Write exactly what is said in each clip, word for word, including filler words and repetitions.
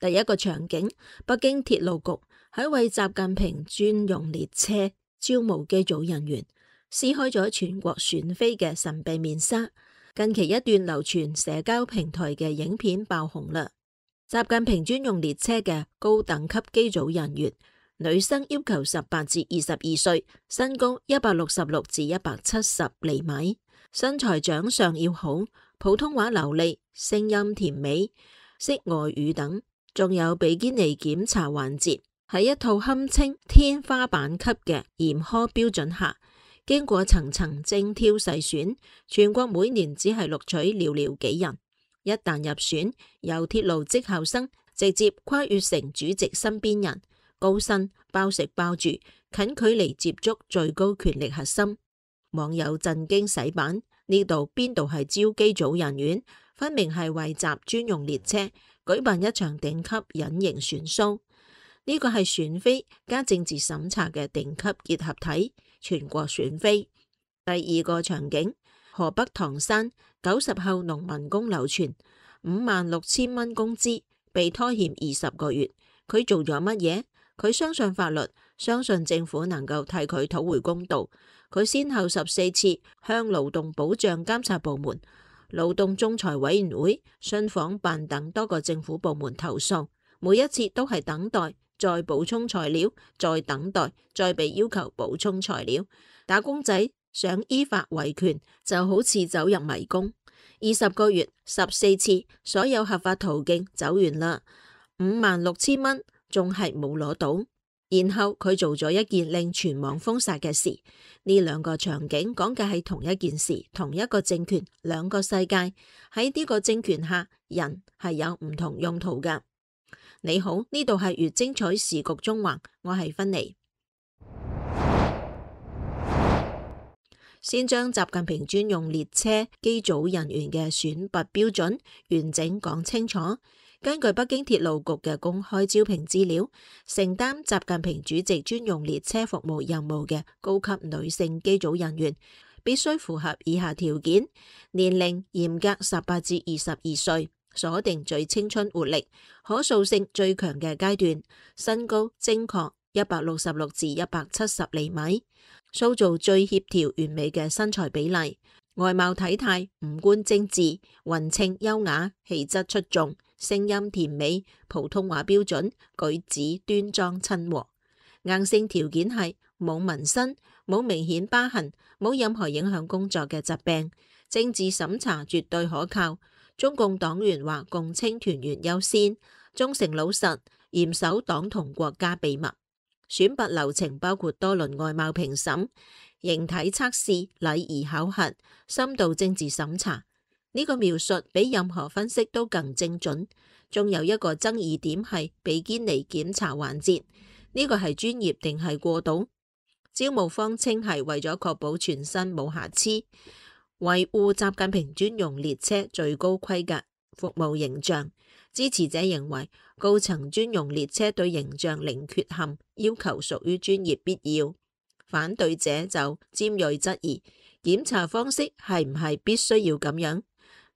第一個場景，北京鐵路局喺為習近平專用列車招募機組人員，撕開咗全國選妃嘅神秘面紗。近期一段流傳社交平台嘅影片爆紅啦。習近平專用列車嘅高等級機組人員，女生要求十八至二十二歲，身高一百六十六至一百七十厘米，身材長相要好，普通話流利，聲音甜美，識外語等。仲有比堅尼檢查環節，喺一套堪稱天花板級嘅嚴苛標準下，經過層層精挑細選，全國每年只係錄取寥寥幾人。一旦入選，由鐵路績效生直接跨越成主席身邊人，高薪包食包住，近距離接觸最高權力核心。網友震驚洗版，呢度邊度係招機組人員，分明係為習專用列車舉辦一場頂級隱形選 show。呢個係選妃加政治審查嘅頂級結合體，全國選妃。第二個場景，河北唐山九十後農民工流傳五萬六千蚊工資被拖欠二十個月，佢做咗乜嘢？佢相信法律，相信政府能夠替佢討回公道。佢先後十四次向勞動保障監察部門、勞動仲裁委員會、信訪辦等多個政府部門投訴，每一次都係等待，再補充材料，再等待，再被要求補充材料。打工仔想依法維權，就好似走入迷宮。二十個月，十四次，所有合法途徑走完啦，五萬六千蚊仲係冇攞到。然後佢做咗一件令全網封殺嘅事。呢兩個場景講嘅係同一件事，同一個政權，兩個世界。喺呢個政權下，人係有唔同用途㗎。你好，呢度係粵精彩時局中環，我係芬妮。先將習近平專用列車機組人員嘅選拔標準完整講清楚。根據北京鐵路局嘅公開招聘資料，承擔習近平主席專用列車服務任務嘅高級女性機組人員，必須符合以下條件：年齡嚴格十八至二十二歲，鎖定最青春活力、可塑性最強嘅階段，身高精確一百六十六至一百七十厘米，塑造最協調完美嘅身材比例，外貌體態五官精緻，勻稱優雅，氣質出眾，聲音甜美，普通話標準，舉止端莊親和。硬性條件係冇紋身，冇明顯疤痕，冇任何影響工作嘅疾病，政治審查絕對可靠，中共黨員或共青團員優先，忠誠老實，嚴守黨同國家秘密。選拔流程包括多輪外貌評審、形體測試、禮儀考核、深度政治審查。呢個描述比任何分析都更精準。仲有一個爭議點係比堅尼檢查環節，呢個係專業定係過度？招募方稱係為咗確保全身冇瑕疵，維護習近平專用列車最高規格服務形象。支持者認為高層專用列車對形象零缺陷，要求屬於專業必要。反對者就尖銳質疑檢查方式係唔係必須要咁樣？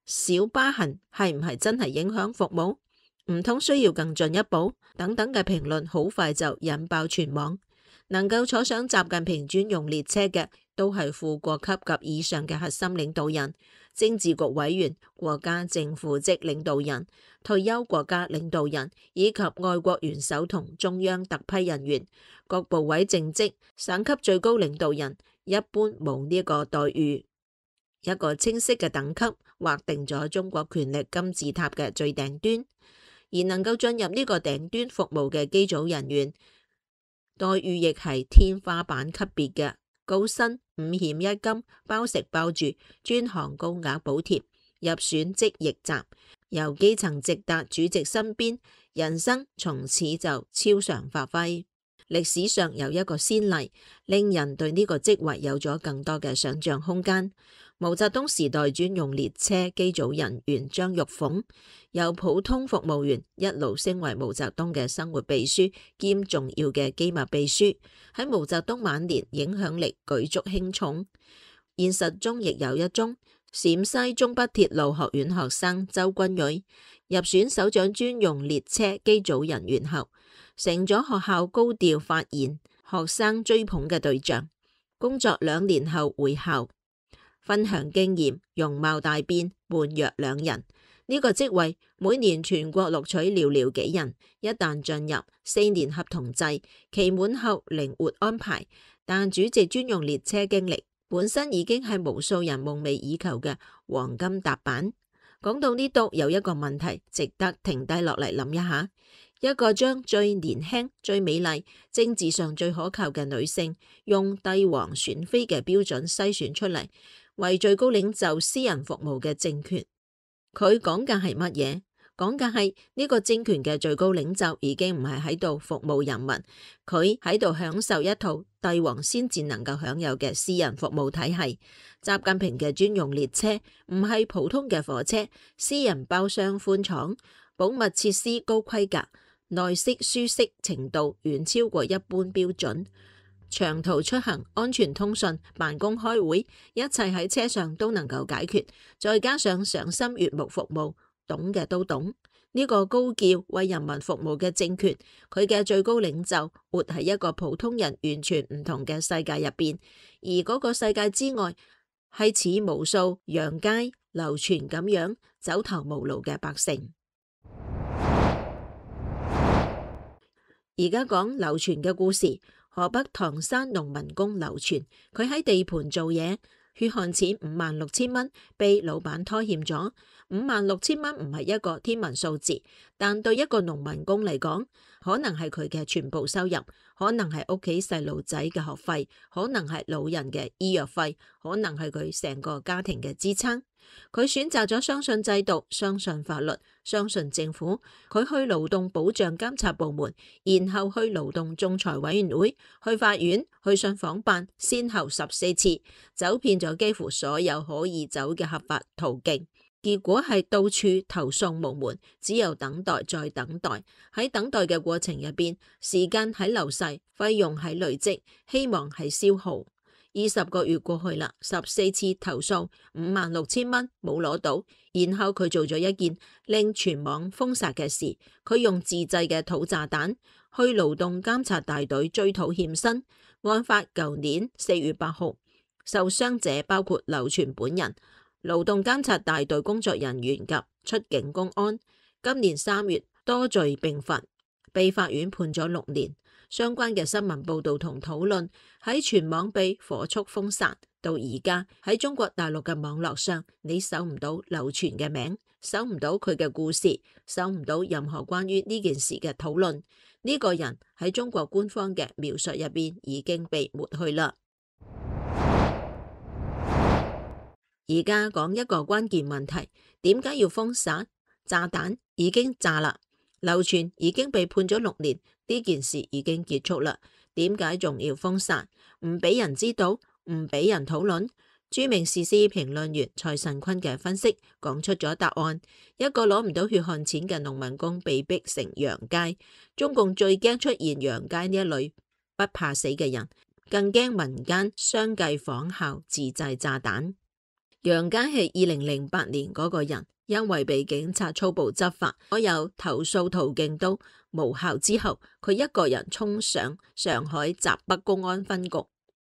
小疤痕係唔係真係影響服務？唔通需要更進一步？等等嘅評論好快就引爆全網。能夠坐上習近平專用列車嘅都係副國級及以上嘅核心領導人、政治局委員、國家正副職領導人、退休國家領導人以及外國元首同中央特批人員。各部委正職、省級最高領導人一般冇呢個待遇。一個清晰嘅等級劃定咗中國權力金字塔嘅最頂端，而能夠進入呢個頂端服務嘅機組人員待遇亦係天花板級別嘅，高薪五險一金，包食包住，專項高額補貼，入選即驛站，由基層直達主席身邊，人生從此就超常發揮。歷史上有一個先例，令人對呢個職位有咗更多嘅想象空間。毛澤東時代專用列車機組人員張玉鳳，由普通服務員一路升為毛澤東嘅生活秘書兼重要嘅機密秘書，喺毛澤東晚年影響力舉足輕重。現實中亦有一宗陝西中北鐵路學院學生周君蕊入選首長專用列車機組人員後，成咗學校高調發言、學生追捧嘅對象。工作兩年後回校，分享經驗，容貌大變，判若兩人。呢、這個職位每年全國錄取寥寥幾人，一旦進入四年合同制，期滿後靈活安排。但主席專用列車經歷本身已經係無數人夢寐以求嘅黃金踏板。講到呢度，有一個問題值得停低落嚟諗一下：一個將最年輕、最美麗、政治上最可靠嘅女性，用帝王選妃嘅標準篩選出嚟，為最高領袖私人服務嘅政權，佢講嘅係乜嘢？講嘅係呢個政權嘅最高領袖已經唔係喺度服務人民，佢喺度享受一套帝王先至能夠享有嘅私人服務體系。習近平嘅專用列車唔係普通嘅火車，私人包廂寬敞，保密設施高規格，內飾舒適程度遠超過一般標準。長途出行、安全通訊、辦公開會，一切喺車上都能夠解決。再加上賞心悅目服務，懂嘅都懂。呢、這個高叫為人民服務嘅政權，佢嘅最高領袖活喺一個普通人完全唔同嘅世界入邊，而嗰個世界之外係似無數楊佳、劉全咁樣走投無路嘅百姓。而家講劉全嘅故事。河北唐山農民工劉全，佢喺地盤做嘢，血汗錢五萬六千蚊被老闆拖欠咗。五萬六千蚊唔係一個天文數字，但對一個農民工嚟講，可能係佢嘅全部收入，可能係屋企細路仔嘅學費，可能係老人嘅醫藥費，可能係佢成個家庭嘅支撐。佢選擇咗相信制度、相信法律、相信政府。佢去勞動保障監察部門，然後去勞動仲裁委員會，去法院，去信訪辦，先後十四次，走遍咗幾乎所有可以走嘅合法途徑。結果係到處投訴無門，只有等待再等待。喺等待嘅過程入邊，時間喺流逝，費用喺累積，希望係消耗。二十個月過去啦，十四次投訴，五萬六千蚊冇攞到。然後佢做咗一件令全網封殺嘅事，佢用自製嘅土炸彈去勞動監察大隊追討欠薪。案發舊年四月八號，受傷者包括劉全本人、勞動監察大隊工作人員及出境公安。今年三月多罪並罰，被法院判咗六年。相關嘅新聞報道同討論喺全網被火速封殺，到而家喺中國大陸嘅網絡上，你搜唔到劉全嘅名，搜唔到佢嘅故事，搜唔到任何關於呢件事嘅討論。呢、這個人喺中國官方嘅描述入邊已經被抹去啦。而家講一個關鍵問題，點解要封殺？炸彈已經炸啦，劉全已經被判咗六年。呢件事已經結束啦，點解仲要封殺？唔俾人知道，唔俾人討論？著名時事評論員蔡慎坤嘅分析講出咗答案：一個攞唔到血汗錢嘅農民工被逼成楊佳。中共最驚出現楊佳呢一類不怕死嘅人，更驚民間相繼仿效自製炸彈。楊佳係二零零八年嗰個人，因為被警察粗暴執法，所有投訴途徑都無效之後，佢一個人衝上上海閘北公安分局，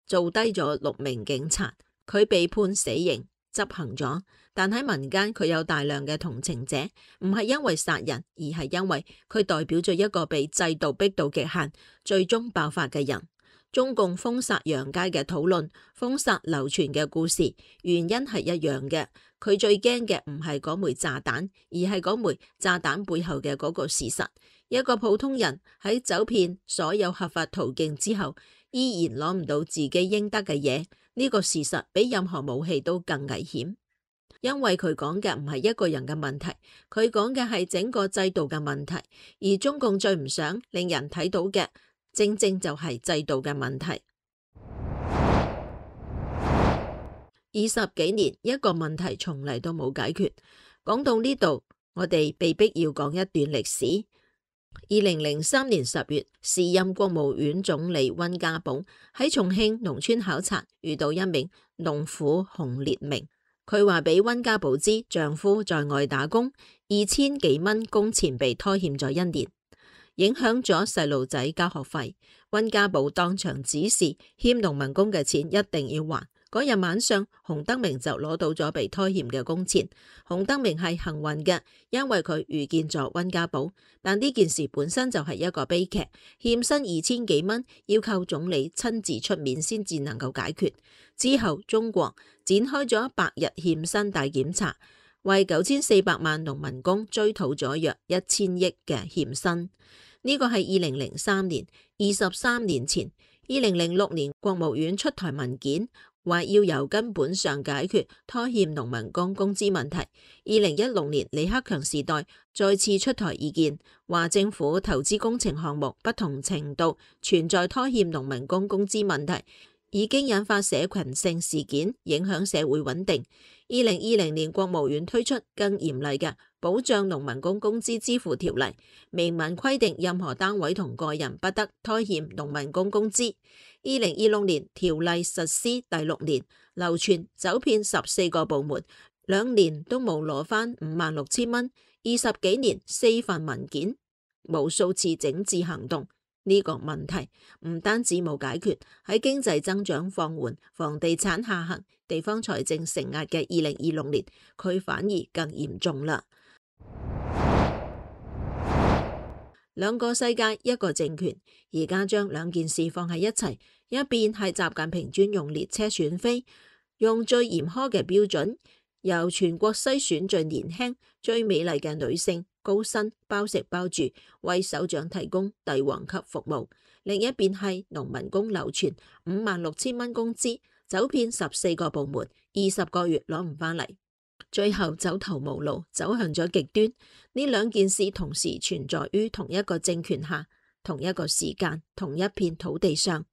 做低咗六名警察，佢被判死刑執行咗。但喺民間佢有大量嘅同情者，唔係因為殺人，而係因為佢代表咗一個被制度逼到極限，最終爆發嘅人。中共封殺楊佳嘅討論，封殺劉全嘅故事，原因係一樣嘅。佢最驚嘅唔係嗰枚炸彈，而係嗰枚炸彈背後嘅嗰個事實。一個普通人喺走遍所有合法途徑之後，依然攞唔到自己應得嘅嘢，呢個事實比任何武器都更危險。因為佢講嘅唔係一個人嘅問題，佢講嘅係整個制度嘅問題。而中共最唔想令人睇到嘅，正正就係制度嘅問題。二十幾年一個問題從嚟都冇解決。講到呢度，我哋被逼要講一段歷史。二零零三年十月，時任國務院總理溫家寶喺重慶農村考察，遇到一名農婦洪烈明。佢話俾溫家寶知，丈夫在外打工，二千幾蚊工錢被拖欠咗一年，影響咗細路仔交學費。溫家寶當場指示欠農民工嘅錢一定要還。嗰日晚上，洪德明就攞到咗被拖欠嘅工錢。洪德明係幸運嘅，因為佢遇見咗溫家寶。但呢件事本身就係一個悲劇，欠薪二千幾蚊，要靠總理親自出面先至能夠解決。之後，中國展開咗百日欠薪大檢查，為九千四百萬農民工追討咗約一千億嘅欠薪。呢個係二零零三年，二十三年前。二零零六年，國務院出台文件，話要由根本上解決拖欠農民工工資問題。二零一六年，李克強時代再次出台意見，話政府投資工程項目不同程度存在拖欠農民工工資問題，已經引發社群性事件，影響社會穩定。二零二零年，國務院推出更嚴厲嘅保障農民工工資支付條例，明文規定任何單位同個人不得拖欠農民工工資。二零二六年條例實施第六年，流傳走遍十四個部門，兩年都冇攞返五萬六千蚊，二十幾年四份文件，無數次整治行動。呢個問題唔單止冇解決，喺經濟增長放緩、房地產下行、地方財政承壓嘅二零二六年，佢反而更嚴重啦。兩個世界，一個政權，而家將兩件事放喺一齊，一邊係習近平專用列車選妃，用最嚴苛嘅標準，由全國篩選最年輕、最美麗嘅女性，高薪包食包住，為首長提供帝王級服務；另一邊係農民工流傳五萬六千蚊工資，走遍十四個部門，二十個月攞唔返嚟，最後走投無路，走向咗極端。呢兩件事同時存在於同一個政權下，同一個時間，同一片土地上。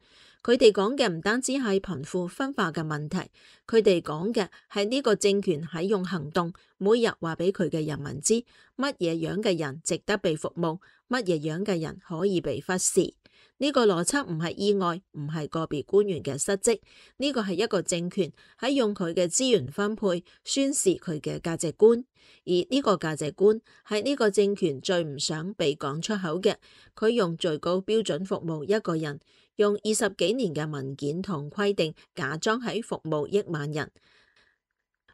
佢哋講嘅唔單止係貧富分化嘅問題，佢哋講嘅係呢個政權喺用行動，每日話俾佢嘅人民知，乜嘢樣嘅人值得被服務，乜嘢樣嘅人可以被忽視。呢個邏輯唔係意外，唔係個別官員嘅失職，呢個係一個政權喺用佢嘅資源分配，宣示佢嘅價值觀。而呢個價值觀係呢個政權最唔想被講出口嘅。佢用最高標準服務一個人，用二十幾年嘅文件同規定假裝喺服務億萬人。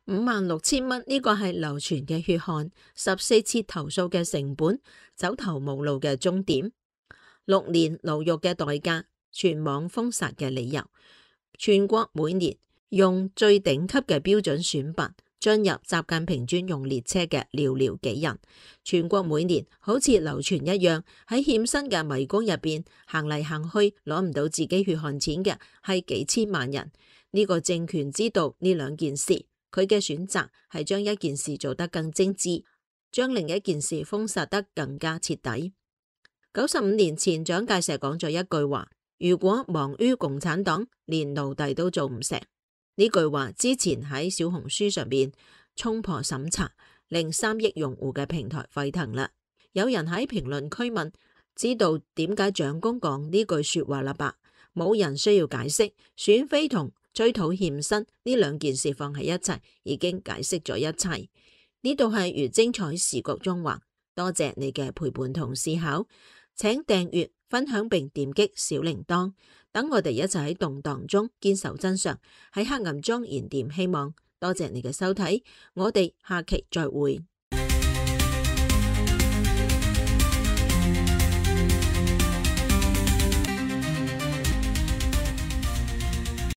五萬六千蚊呢個係流傳嘅血汗，十四次投訴嘅成本，走投無路嘅終點。六年牢獄嘅代價，全網封殺嘅理由，全國每年用最頂級嘅標準選拔進入習近平專用列車嘅寥寥幾人，全國每年好似流傳一樣喺欠薪嘅迷宮入邊行嚟行去，攞唔到自己血汗錢嘅係幾千萬人。呢個政權知道呢兩件事，佢嘅選擇係將一件事做得更精緻，將另一件事封殺得更加徹底。九十五年前，蔣介石講咗一句話：如果忙於共產黨，連奴隸都做唔成。呢句話之前喺小紅書上邊衝破審查，令三億用戶嘅平台沸騰啦。有人喺評論區問：知道點解蔣公講呢句說話啦吧？冇人需要解釋，選妃同追討欠薪呢兩件事放喺一齊，已經解釋咗一切。呢度係如精彩時局中華，多謝你嘅陪伴同思考。請訂閱、分享並點擊小鈴鐺，等我哋一齊喺動盪中堅守真相，喺黑暗中燃點希望。多謝你嘅收睇，我哋下期再會。